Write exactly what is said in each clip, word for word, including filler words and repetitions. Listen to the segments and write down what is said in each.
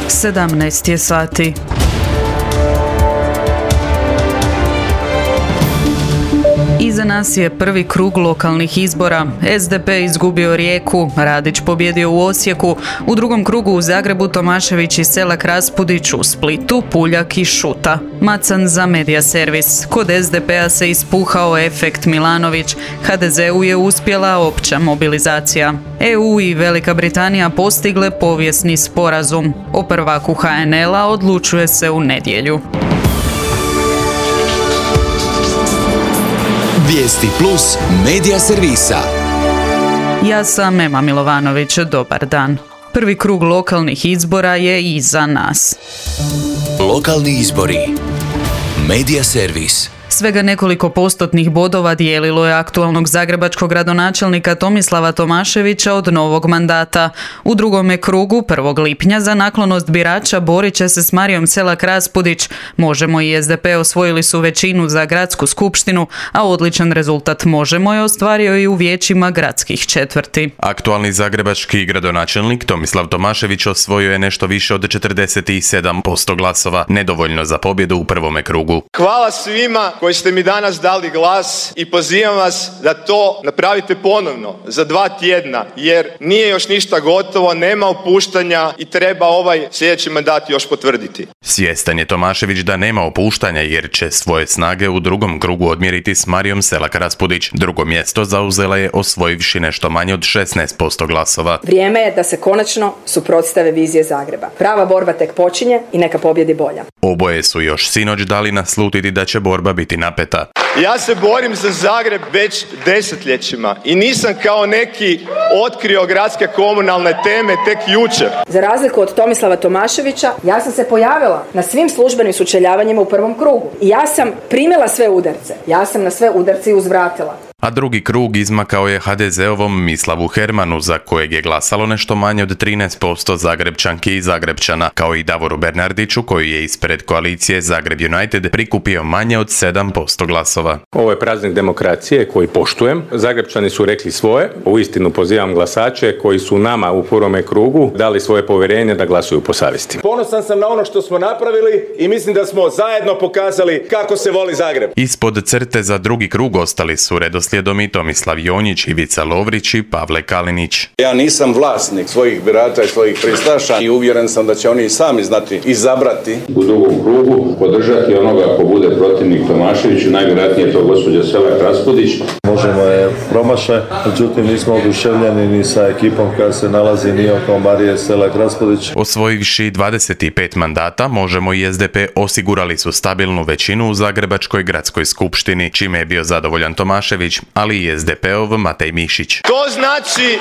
sedamnaest je sati. Iza nas je prvi krug lokalnih izbora. S D P izgubio Rijeku, Radić pobjedio u Osijeku, u drugom krugu u Zagrebu Tomašević i Selak Raspudić, u Splitu Puljak i Šuta. Macan za Medija servis. Kod S D P-a se ispuhao efekt Milanović, H D Z-u je uspjela opća mobilizacija. E U i Velika Britanija postigle povijesni sporazum. O prvaku H N L-a odlučuje se u nedjelju. Vijesti plus Medija servisa. Ja sam Ema Milovanović, dobar dan. Prvi krug lokalnih izbora je iza nas. Lokalni izbori. Medija servis. Svega nekoliko postotnih bodova dijelilo je aktualnog zagrebačkog gradonačelnika Tomislava Tomaševića od novog mandata. U drugome krugu, prvog lipnja, za naklonost birača borit će se s Marijom Selak Raspudić. Možemo i S D P osvojili su većinu za gradsku skupštinu, a odličan rezultat Možemo je ostvario i u vijećima gradskih četvrti. Aktualni zagrebački gradonačelnik Tomislav Tomašević osvojio je nešto više od četrdeset sedam posto glasova, nedovoljno za pobjedu u prvome krugu. Hvala svima koji ste mi danas dali glas i pozivam vas da to napravite ponovno za dva tjedna, jer nije još ništa gotovo, nema opuštanja i treba ovaj sljedeći mandat još potvrditi. Svjestan je Tomašević da nema opuštanja jer će svoje snage u drugom krugu odmjeriti s Marijom Selak Raspudić. Drugo mjesto zauzela je osvojivši nešto manje od šesnaest posto glasova. Vrijeme je da se konačno suprotstave vizije Zagreba. Prava borba tek počinje i neka pobjedi bolja. Oboje su još sinoć dali naslutiti da će borba biti napeta. Ja se borim za Zagreb već desetljećima i nisam kao neki otkrio gradske komunalne teme tek jučer. Za razliku od Tomislava Tomaševića, ja sam se pojavila na svim službenim sučeljavanjima u prvom krugu. I ja sam primila sve udarce. Ja sam na sve udarce i uzvratila. A drugi krug izmakao je H D Z-ovom Mislavu Hermanu, za kojeg je glasalo nešto manje od trinaest posto Zagrebčanki i Zagrebčana, kao i Davoru Bernardiću, koji je ispred koalicije Zagreb United prikupio manje od sedam posto glasova. Ovo je praznik demokracije koji poštujem. Zagrebčani su rekli svoje. Uistinu pozivam glasače koji su nama u prvome krugu dali svoje povjerenje da glasuju po savjesti. Ponosan sam na ono što smo napravili i mislim da smo zajedno pokazali kako se voli Zagreb. Ispod crte za drugi krug ostali su redoslijedom i Tomislav Jonjić, Ivica Lovrić i Pavle Kalinić. Ja nisam vlasnik svojih birača i svojih pristaša i uvjeren sam da će oni sami znati izabrati. U drugom krugu podržati onoga ko bude protivnik Tomaševiću, najvjerojatnije je to gospođa Selak Raspudić. Možemo je promašaj, međutim nismo oduševljeni ni sa ekipom koja se nalazi ni oko Marije Selak Raspudić. Osvojivši dvadeset pet mandata, Možemo i S D P osigurali su stabilnu većinu u Zagrebačkoj gradskoj skupštini, čime je bio zadovoljan Tomašević, ali i S D P-ov Matej Mišić. To znači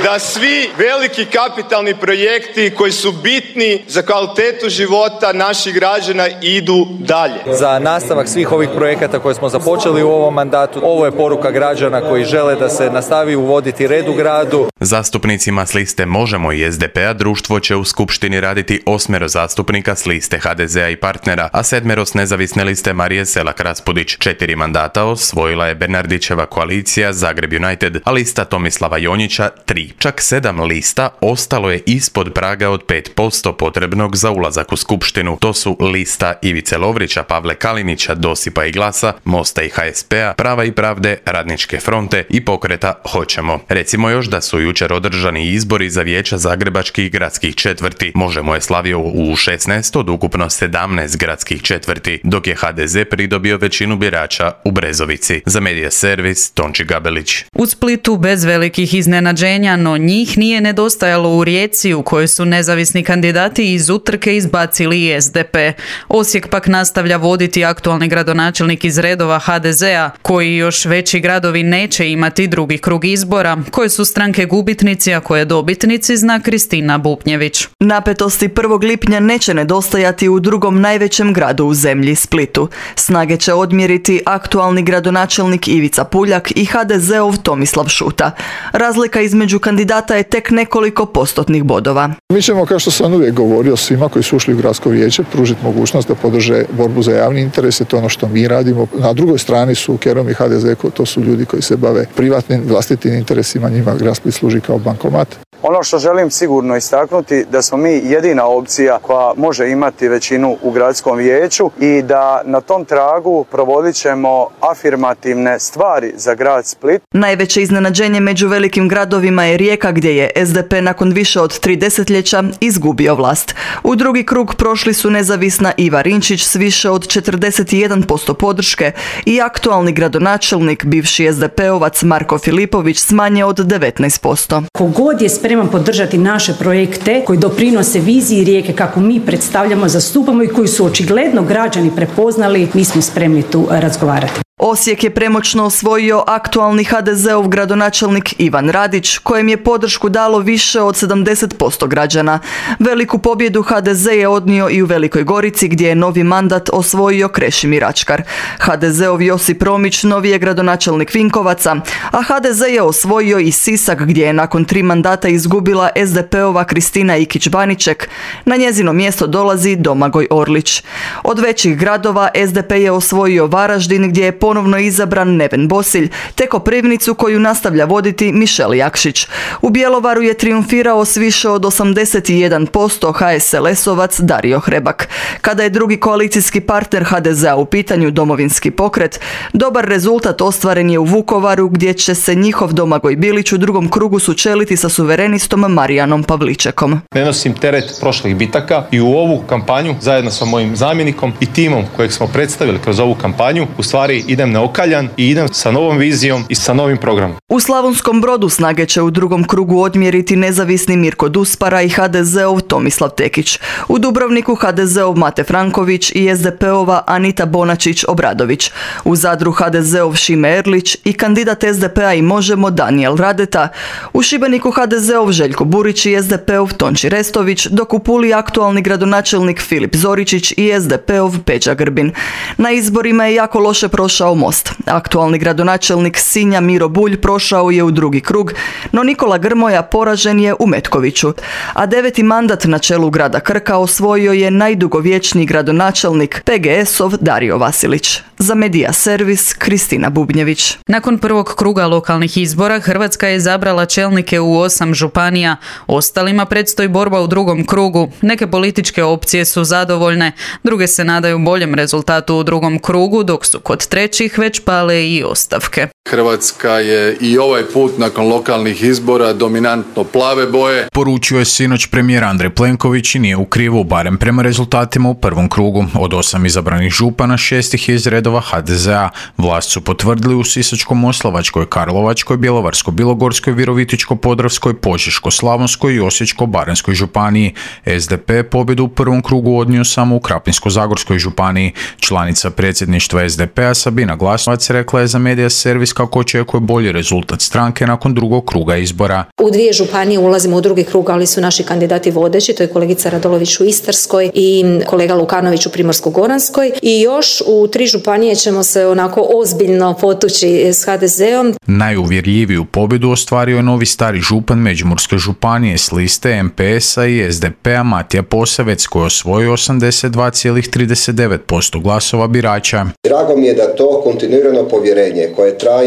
da svi veliki kapitalni projekti koji su bitni za kvalitetu života naših građana idu dalje. Za nastavak svih ovih projekata koje smo započeli u ovom mandatu, ovo je poruka građana koji žele da se nastavi uvoditi red u gradu. Zastupnicima s liste Možemo i S D P-a društvo će u skupštini raditi osmero zastupnika s liste H D Z-a i partnera, a sedmero s nezavisne liste Marije Selak Raspudić. Četiri mandata osvojila je Bernardićeva koalicija Zagreb United, a lista Tomislava Jonjića tri. Čak sedam lista ostalo je ispod praga od pet posto potrebnog za ulazak u skupštinu. To su lista Ivice Lovrića, Pavle Kalinića, Dosipa i Glasa, Mosta i H S P-a, Prava i pravde, Radničke fronte i pokreta Hoćemo. Recimo još da su jučer održani izbori za vijeća zagrebačkih gradskih četvrti. Možemo je slavio u šesnaest od ukupno sedamnaest gradskih četvrti, dok je H D Z pridobio većinu birača u Brezovici. Za Medija servis Tonči Gabelić. U Splitu bez velikih iznenađenja, no njih nije nedostajalo u Rijeci, u kojoj su nezavisni kandidati iz utrke izbacili i S D P. Osijek pak nastavlja voditi aktualni gradonačelnik iz redova H D Z-a, koji još veći gradovi neće imati drugi krug izbora, koje su stranke gubitnici, a koje dobitnici zna Kristina Bupnjević. Napetosti prvog lipnja neće nedostajati u drugom najvećem gradu u zemlji, Splitu. Snage će odmjeriti aktualni gradonačelnik Ivica Puljak i H D Z-ov Tomislav Šuta. Razlika između kandidata je tek nekoliko postotnih bodova. Mi ćemo, kao što sam uvijek govorio, svima koji su ušli u gradsko vijeće pružiti mogućnost da podrže borbu za javni interes, to je ono što mi radimo. Na drugoj strani su Kerom i H D Z, to su ljudi koji se bave privatnim vlastitim interesima, njima grad Split služi kao bankomat. Ono što želim sigurno istaknuti da smo mi jedina opcija koja može imati većinu u gradskom vijeću i da na tom tragu provodit ćemo afirmativne stvari za grad Split. Najveće iznenađenje među velikim gradovima je Rijeka gdje je S D P nakon više od tri desetljeća izgubio vlast. U drugi krug prošli su nezavisna Iva Rinčić s više od četrdeset jedan posto podrške i aktualni gradonačelnik, bivši S D P-ovac Marko Filipović s manje od devetnaest posto. Kogod je spreman podržati naše projekte koji doprinose viziji Rijeke kako mi predstavljamo, zastupamo i koji su očigledno građani prepoznali, mi smo spremni tu razgovarati. Osijek je premoćno osvojio aktualni H D Z-ov gradonačelnik Ivan Radić, kojem je podršku dalo više od sedamdeset posto građana. Veliku pobjedu H D Z je odnio i u Velikoj Gorici gdje je novi mandat osvojio Krešimir Ačkar. H D Z-ov Josip Romić novi je gradonačelnik Vinkovaca, a H D Z je osvojio i Sisak gdje je nakon tri mandata izgubila S D P-ova Kristina Ikić-Baniček. Na njezino mjesto dolazi Domagoj Orlić. Od većih gradova S D P je osvojio Varaždin gdje je ponovno izabran Neven Bosilj, te Koprivnicu koju nastavlja voditi Mišel Jakšić. U Bjelovaru je triumfirao s više od osamdeset jedan posto H S L S-ovac Dario Hrebak. Kada je drugi koalicijski partner H D Z-a u pitanju Domovinski pokret, dobar rezultat ostvaren je u Vukovaru gdje će se njihov Domagoj Bilić u drugom krugu sučeliti sa suverenistom Marijanom Pavličekom. Ne nosim teret prošlih bitaka i u ovu kampanju zajedno sa mojim zamjenikom i timom kojeg smo predstavili kroz ovu kampanju u stvari idem neokaljan i idem sa novom vizijom i sa novim programom. U Slavonskom Brodu snage će u drugom krugu odmjeriti nezavisni Mirko Duspara i H D Z-ov Tomislav Tekić. U Dubrovniku H D Z-ov Mate Franković i S D P-ova Anita Bonačić-Obradović. U Zadru H D Z-ov Šime Erlić i kandidat S D P-a i Možemo Danijel Radeta. U Šibeniku H D Z-ov Željko Burić i S D P-ov Tonči Restović, dok u Puli aktualni gradonačelnik Filip Zoričić i S D P-ov Peđa Grbin. Na izborima je jako loše prošao Most. Aktualni gradonačelnik Sinja Miro Bulj prošao je u drugi krug, no Nikola Grmoja poražen je u Metkoviću. A deveti mandat na čelu grada Krka osvojio je najdugovječniji gradonačelnik P G S-ov Dario Vasilić. Za Medija Servis Kristina Bubnjević. Nakon prvog kruga lokalnih izbora Hrvatska je izabrala čelnike u osam županija. Ostalima predstoji borba u drugom krugu. Neke političke opcije su zadovoljne, druge se nadaju boljem rezultatu u drugom krugu, dok su kod trećih već pale i ostavke. Hrvatska je i ovaj put nakon lokalnih izbora dominantno plave boje. Poručio je sinoć premijer Andrej Plenković i nije u krivu, barem prema rezultatima u prvom krugu. Od osam izabranih župana, šestih je iz redova H D Z-a. Vlast su potvrdili u Sisačko-moslavačkoj, Karlovačkoj, Bjelovarsko-bilogorskoj, Virovitičko-podravskoj, Požeško-slavonskoj i Osječko-baranjskoj županiji. S D P pobjedu u prvom krugu odnio samo u Krapinsko-zagorskoj županiji. Članica predsjedništva S D P-a Sabina Glasovac rekla je za Medija Servis kako očekuje bolji rezultat stranke nakon drugog kruga izbora. U dvije županije ulazimo u drugi krug, ali su naši kandidati vodeći, to je kolegica Radolović u Istarskoj i kolega Lukanović u Primorsko-goranskoj, i još u tri županije ćemo se onako ozbiljno potući s H D Z-om. Najuvjerljiviju pobjedu ostvario je novi stari župan Međimurske županije s liste M P S-a i S D P-a Matija Posavec koji je osvojio osamdeset dva zarez trideset devet posto glasova birača. Drago mi je da to kontinuirano povjerenje koje traje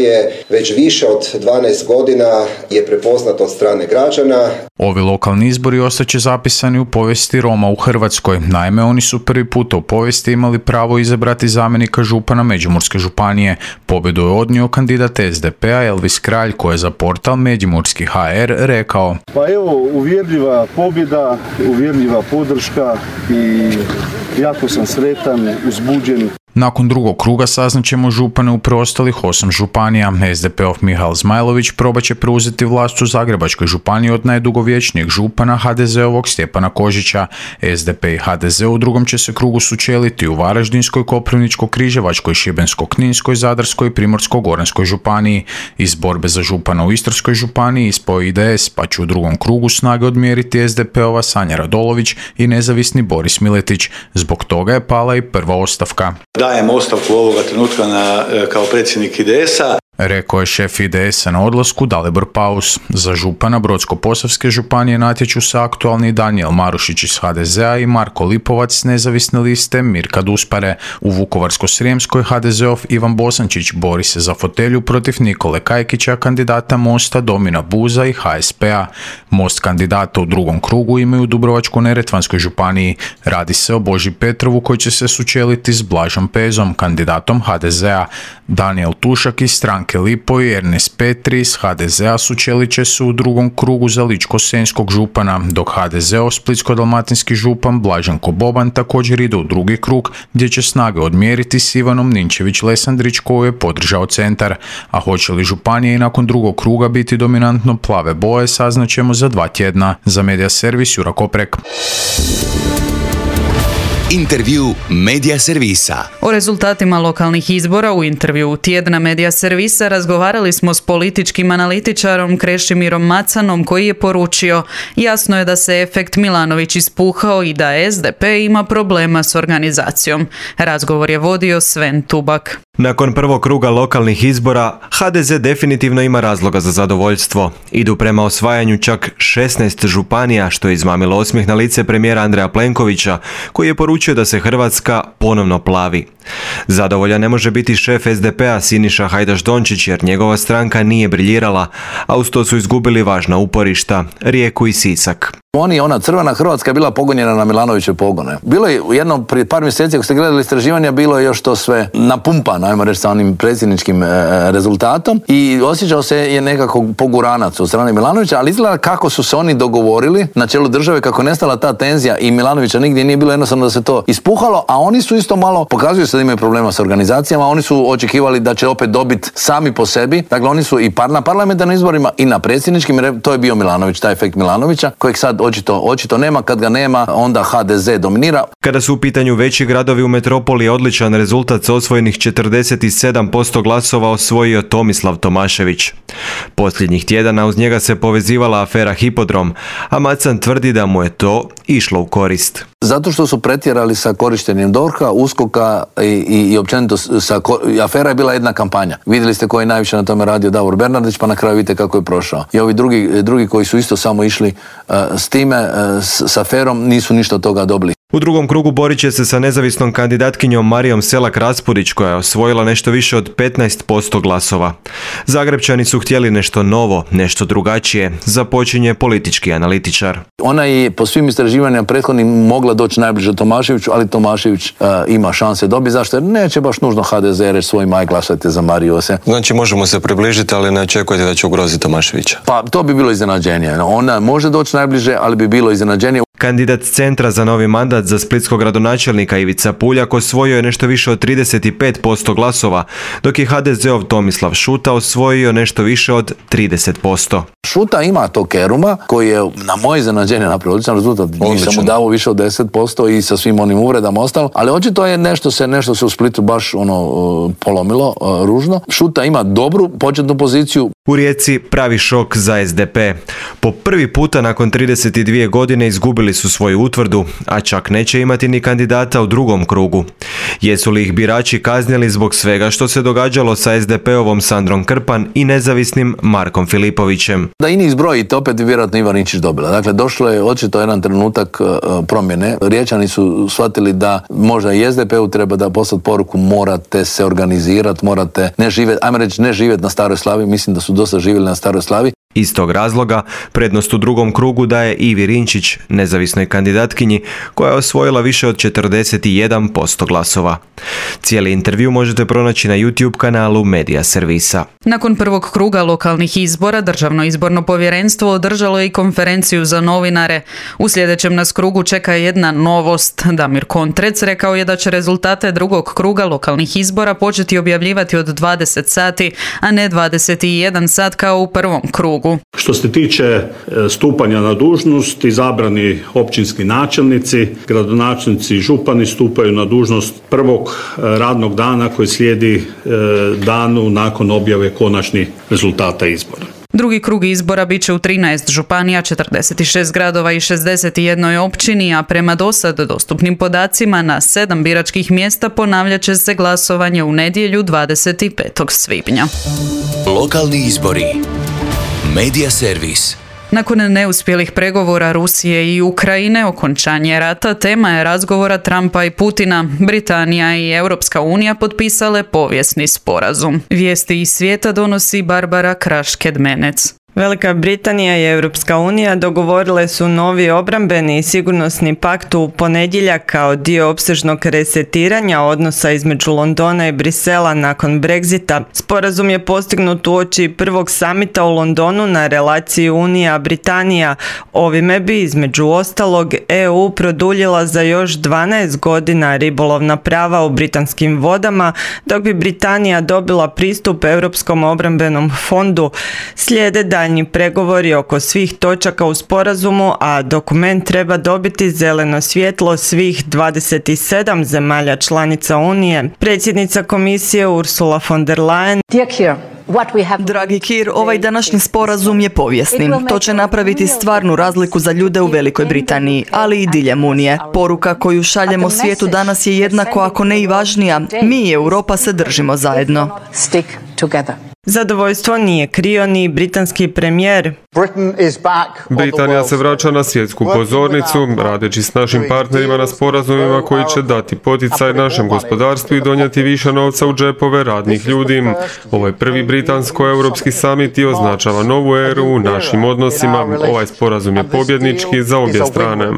već više od dvanaest godina je prepoznato od strane građana. Ovi lokalni izbori ostaće zapisani u povijesti Roma u Hrvatskoj. Naime, oni su prvi puta u povijesti imali pravo izabrati zamjenika župana Međimurske županije. Pobjedu je odnio kandidat S D P-a Elvis Kralj koji je za portal Međimurski H R rekao: Pa evo, uvjerljiva pobjeda, uvjerljiva podrška i jako sam sretan, uzbuđen. Nakon drugog kruga saznaćemo župane u preostalih osam županija. S D P-ov Mihael Zmajlović probat će preuzeti vlast u Zagrebačkoj županiji od najdugovječnijeg župana H D Z-ovog Stjepana Kožića. S D P i H D Z u drugom će se krugu sučeliti u Varaždinskoj, Koprivničko-križevačkoj, Šibensko-kninskoj, Zadarskoj i Primorsko-goranskoj županiji. Iz borbe za župana u Istarskoj županiji ispao I D S, pa će u drugom krugu snage odmjeriti S D P-ova Sanja Radolović i nezavisni Boris Miletić. Zbog toga je pala i prva ostavka. Dajem ostavku ovoga trenutka na, kao predsjednik I D S-a. rekao je šef I D S-a na odlasku Dalibor Paus. Za župana Brodsko-posavske županije natječu se aktualni Danijel Marušić iz H D Z-a i Marko Lipovac s nezavisne liste Mirka Duspare. U Vukovarsko-srijemskoj H D Z-ov Ivan Bosančić bori se za fotelju protiv Nikole Kajkića, kandidata Mosta Domina Buza i H S P-a. Most kandidata u drugom krugu imaju u Dubrovačko-neretvanskoj županiji. Radi se o Boži Petrovu koji će se sučeliti s Blažom Pezom, kandidatom H D Z-a. Danijel Tušak iz stranke Lipo i Ernest Petri iz H D Z-a sučelit će se u drugom krugu za Ličko-senjskog župana, dok H D Z-ov splitsko-dalmatinski župan Blaženko Boban također ide u drugi krug gdje će snage odmjeriti s Ivanom Ninčević-Lesandrić koju je podržao Centar. A hoće li županije i nakon drugog kruga biti dominantno plave boje saznaćemo za dva tjedna. Za Medija Servis Jura Koprek. Intervju Medija Servisa. O rezultatima lokalnih izbora u intervju tjedna Medija Servisa razgovarali smo s političkim analitičarom Krešimirom Macanom koji je poručio: jasno je da se efekt Milanović ispuhao i da S D P ima problema s organizacijom. Razgovor je vodio Sven Tubak. Nakon prvog kruga lokalnih izbora, H D Z definitivno ima razloga za zadovoljstvo. Idu prema osvajanju čak šesnaest županija, što je izmamilo osmijeh na lice premijera Andreja Plenkovića, koji je poručio da se Hrvatska ponovno plavi. Zadovoljan ne može biti šef S D P-a Siniša Hajdaš Dončić jer njegova stranka nije briljirala, a uz to su izgubili važna uporišta, Rijeku i Sisak. Oni, ona crvena Hrvatska je bila pogonjena na Milanovićeve pogone. Bilo je jedno prije par mjeseci, ako ste gledali istraživanja, bilo je još to sve napumpano, ajmo reći, sa onim predsjedničkim e, rezultatom i osjećao se je nekako poguranac od strane Milanovića, ali izgleda kako su se oni dogovorili na čelu države, kako je nestala ta tenzija i Milanovića nigdje nije bilo, jednostavno da se to ispuhalo, a oni su isto malo, pokazuju se da imaju problema s organizacijama, oni su očekivali da će opet dobiti sami po sebi, dakle oni su i par, na parlamentarnim izborima i na predsjedničkim, to je bio Milanović, taj efekt Milanovića, kojeg sad očito, očito nema, kad ga nema, onda H D Z dominira. Kada su u pitanju veći gradovi u metropoli, odličan rezultat s osvojenih četrdeset sedam posto glasova osvojio Tomislav Tomašević. Posljednjih tjedana uz njega se povezivala afera Hipodrom, a Macan tvrdi da mu je to išlo u korist. Zato što su pretjerali sa korištenjem DORH-a, USKOK-a i, i, i općenito sa, afera je bila jedna kampanja. Vidjeli ste ko je najviše na tome radio, Davor Bernardić, pa na kraju vidite kako je prošao. I ovi drugi, drugi koji su isto samo išli uh, s time, uh, s, s aferom, nisu ništa od toga dobili. U drugom krugu borit će se sa nezavisnom kandidatkinjom Marijom Selak Raspudić koja je osvojila nešto više od petnaest posto glasova. Zagrebčani su htjeli nešto novo, nešto drugačije, započinje politički analitičar. Ona je po svim istraživanjima prethodnim mogla doći najbliže Tomaševiću, ali Tomašević uh, ima šanse dobiti. Zašto? Jer neće baš nužno H D Z reći svojim aj glasajte za Mariju. Znači možemo se približiti, ali ne očekujete da će ugroziti Tomaševića? Pa to bi bilo iznenađenje. Ona može doći najbliže, ali bi bilo iznenađenje. Kandidat Centra za novi mandat za splitskog gradonačelnika Ivica Puljak osvojio je nešto više od trideset pet posto glasova, dok je H D Z-ov Tomislav Šuta osvojio nešto više od trideset posto. Šuta ima to keruma koji je na moje iznenađenje napravio odličan rezultat. Nisam mu dao više od deset posto i sa svim onim uvredama ostalo, ali očito je nešto se nešto se u Splitu baš ono polomilo ružno. Šuta ima dobru početnu poziciju. U Rijeci pravi šok za S D P. Po prvi puta nakon trideset dvije godine izgubili su svoju utvrdu, a čak neće imati ni kandidata u drugom krugu. Jesu li ih birači kaznili zbog svega što se događalo sa S D P-ovom Sandrom Krpan i nezavisnim Markom Filipovićem? Da i njih zbrojite, opet bi vjerojatno Ivan Ninčić dobila. Dakle, došlo je očito jedan trenutak uh, promjene. Riječani su shvatili da možda i S D P-u treba da poslati poruku morate se organizirati, morate ne živjeti, ajmo reći ne živjeti na Staroj Slavi, mislim da su dosta živjeli na Staroj Slavi. Iz tog razloga prednost u drugom krugu daje Ivi Rinčić, nezavisnoj kandidatkinji koja je osvojila više od četrdeset jedan posto glasova. Cijeli intervju možete pronaći na YouTube kanalu Medija Servisa. Nakon prvog kruga lokalnih izbora, Državno izborno povjerenstvo održalo je i konferenciju za novinare. U sljedećem nas krugu čeka jedna novost. Damir Kontrec rekao je da će rezultate drugog kruga lokalnih izbora početi objavljivati od dvadeset sati, a ne dvadeset jedan sat kao u prvom krugu. Što se tiče stupanja na dužnost, izabrani općinski načelnici, gradonačelnici i župani stupaju na dužnost prvog radnog dana koji slijedi danu nakon objave konačnih rezultata izbora. Drugi krug izbora bit će u trinaest županija, četrdeset šest gradova i šezdeset jedan općini, a prema dosad dostupnim podacima na sedam biračkih mjesta ponavljat će se glasovanje u nedjelju dvadeset petog svibnja. Lokalni izbori. Medija servis. Nakon neuspjelih pregovora Rusije i Ukrajine, okončanje rata, tema je razgovora Trumpa i Putina. Britanija i Europska unija potpisale povijesni sporazum. Vijesti iz svijeta donosi Barbara Kraš-Kedmenec. Velika Britanija i Europska unija dogovorile su novi obrambeni i sigurnosni pakt u ponedjeljak kao dio opsežnog resetiranja odnosa između Londona i Brisela nakon Brexita. Sporazum je postignut uoči prvog samita u Londonu na relaciji Unija-Britanija. Ovime bi između ostalog E U produljila za još dvanaest godina ribolovna prava u britanskim vodama, dok bi Britanija dobila pristup Europskom obrambenom fondu. Slijede daljnji pregovori oko svih točaka u sporazumu, a dokument treba dobiti zeleno svjetlo svih dvadeset sedam zemalja članica Unije. Predsjednica komisije Ursula von der Leyen: Dragi Kir, ovaj današnji sporazum je povijesni. To će napraviti stvarnu razliku za ljude u Velikoj Britaniji, ali i diljem Unije. Poruka koju šaljemo svijetu danas je jednako, ako ne i važnija. Mi i Europa se držimo zajedno. Zadovoljstvo nije krio ni britanski premijer. Britanija se vraća na svjetsku pozornicu, radeći s našim partnerima na sporazumima koji će dati poticaj našem gospodarstvu i donijeti više novca u džepove radnih ljudi. Ovaj prvi britansko-europski samit i označava novu eru u našim odnosima. Ovaj sporazum je pobjednički za obje strane.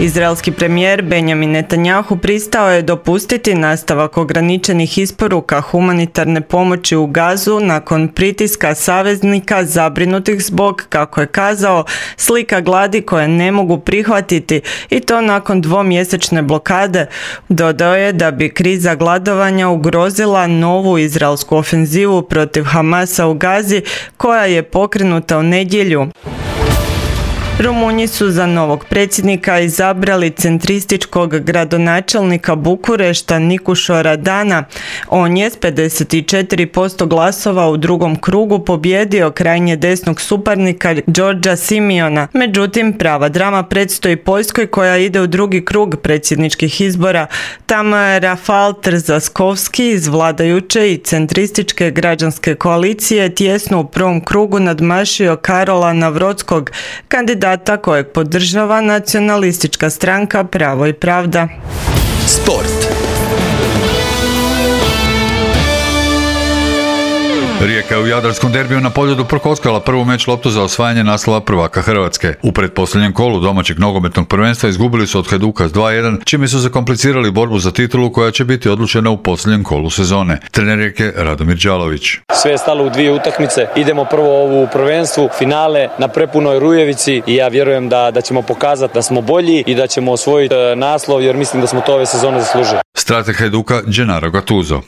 Izraelski premijer Benjamin Netanjahu pristao je dopustiti nastavak ograničenih isporuka humanitarne pomoći u Gazu nakon pritiska saveznika zabrinutih zbog, kako je kazao, slika gladi koje ne mogu prihvatiti, i to nakon dvomjesečne blokade. Dodao je da bi kriza gladovanja ugrozila novu izraelsku ofenzivu protiv Hamasa u Gazi, koja je pokrenuta u nedjelju. Rumunji su za novog predsjednika izabrali centrističkog gradonačelnika Bukurešta Nikušo Radana. On je s pedeset četiri posto glasova u drugom krugu pobjedio krajnje desnog suparnika Đorđa Simiona. Međutim, prava drama predstoji Poljskoj, koja ide u drugi krug predsjedničkih izbora. Tamo je Rafal Trzaskovski iz vladajuće i centrističke građanske koalicije tjesno u prvom krugu nadmašio Karola Navrodskog, kandidata kojeg podržava nacionalistička stranka Pravo i pravda. Sport. Rijeka je u Jadarskom derbiju na Poljudu prokockala prvu meč loptu za osvajanje naslova prvaka Hrvatske. U pretposljednjem kolu domaćeg nogometnog prvenstva izgubili su od Hajduka s dva jedan, čime su zakomplicirali borbu za titulu koja će biti odlučena u posljednjem kolu sezone. Trener Rijeke Radomir Đalović. Sve je stalo u dvije utakmice. Idemo prvo ovu prvenstvu, finale na prepunoj Rujevici, i ja vjerujem da, da ćemo pokazati da smo bolji i da ćemo osvojiti naslov, jer mislim da smo to ove sezone zaslužili. Strateg Hajduka Gennaro Gattuso.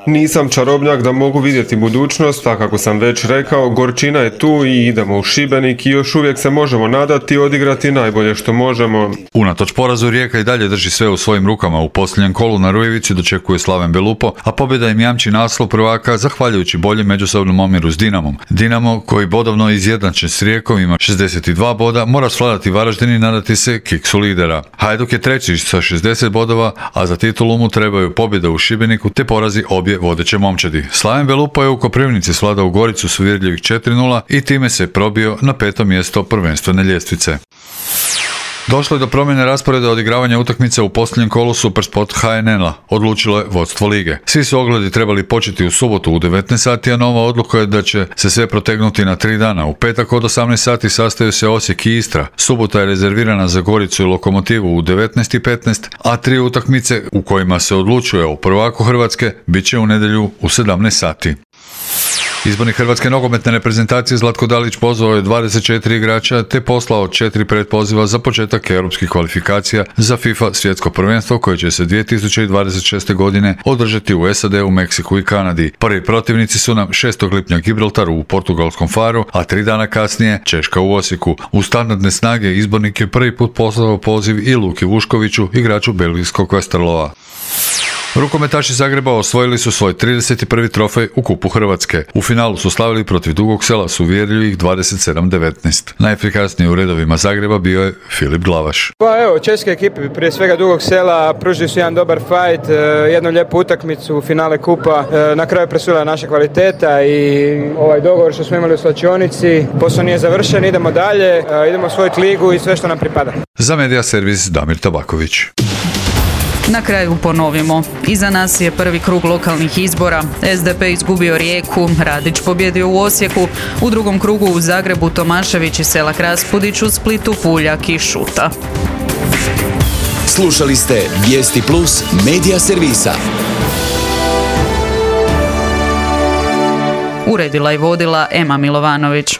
Nisam čarobnjak da mogu vidjeti budućnost, a kako sam već rekao, gorčina je tu i idemo u Šibenik i još uvijek se možemo nadati i odigrati najbolje što možemo. Unatoč porazu Rijeka i dalje drži sve u svojim rukama. U posljednjem kolu na Rujevici dočekuje Slaven Belupo, a pobjeda im jamči naslov prvaka zahvaljujući boljem međusobnom omjeru s Dinamom. Dinamo, koji bodovno izjednačen s Rijekom, ima šezdeset dva boda, mora svladati Varaždin i nadati se kiksu lidera. Hajduk je treći sa šezdeset bodova, a za titulu mu trebaju pobjeda u Šibeniku te porazi obje vodeće momčadi. Slaven Belupo je u Koprivnici svladao u Goricu s uvjerljivih četiri nula i time se probio na peto mjesto prvenstvene ljestvice. Došlo je do promjene rasporeda odigravanja utakmice u posljednjem kolu Supersport H N L-a. Odlučilo je vodstvo lige. Svi su ogledi trebali početi u subotu u devetnaest sati, a nova odluka je da će se sve protegnuti na tri dana. U petak od osamnaest sati sastaju se Osijek i Istra. Subota je rezervirana za Goricu i Lokomotivu u devetnaest i petnaest, a tri utakmice u kojima se odlučuje o prvaku Hrvatske bit će u nedjelju u sedamnaest sati. Izbornik Hrvatske nogometne reprezentacije Zlatko Dalić pozvao je dvadeset četiri igrača te poslao četiri pretpoziva za početak europskih kvalifikacija za FIFA svjetsko prvenstvo koje će se dvije tisuće dvadeset šeste. godine održati u S A D, u Meksiku i Kanadi. Prvi protivnici su nam šestog lipnja Gibraltar u portugalskom Faru, a tri dana kasnije Češka u Osijeku. U standardne snage izbornik je prvi put poslao poziv i Luki Vuškoviću, igraču belgijskog Westerlova. Rukometaši Zagreba osvojili su svoj trideset prvi trofej u Kupu Hrvatske. U finalu su slavili protiv Dugog Sela s uvjerljivih dvadeset sedam devetnaest. Najefikasniji u redovima Zagreba bio je Filip Glavaš. Pa evo, českoj ekipi, prije svega Dugog Sela, pružili su jedan dobar fight, jednu lijepu utakmicu u finale Kupa. Na kraju presudila naša kvaliteta i ovaj dogovor što smo imali u slačionici. Posao nije završen, idemo dalje, idemo osvojiti ligu i sve što nam pripada. Za Media Servis Damir Tabaković. Na kraju ponovimo. Iza nas je prvi krug lokalnih izbora. S D P izgubio Rijeku, Radić pobjedio u Osijeku, u drugom krugu u Zagrebu Tomašević i Selak Raspudić, u Splitu Puljak i Šuta. Slušali ste Vijesti Plus Media Servisa. Uredila i vodila Ema Milovanović.